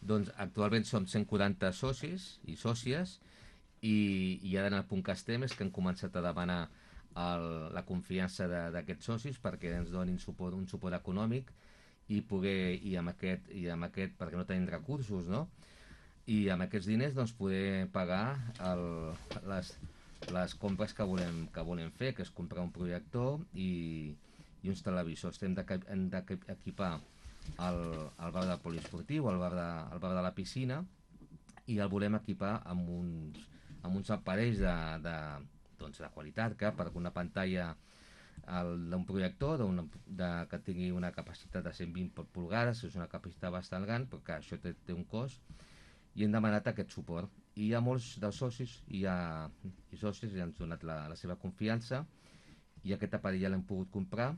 Doncs actualment som 140 socis i sòcies i ara en el punt que estem és que han començat a demanar la confiança d'aquests socis perquè ens donin suport, un suport econòmic i poder, perquè no tenim recursos, no? I amb aquests diners doncs poder pagar les, les compres que volem fer, que és comprar un projector i uns televisors. Hem d'equipar el bar del poliesportiu, el bar de la piscina, i el volem equipar amb uns aparells doncs, de qualitat, perquè una pantalla d'un projector que tingui una capacitat de 120 polgades, és una capacitat bastant gran, però que això té un cost, i hem demanat aquest suport. I hi ha molts dels socis i sòcies i han donat la seva confiança i aquest aparell ja l'hem pogut comprar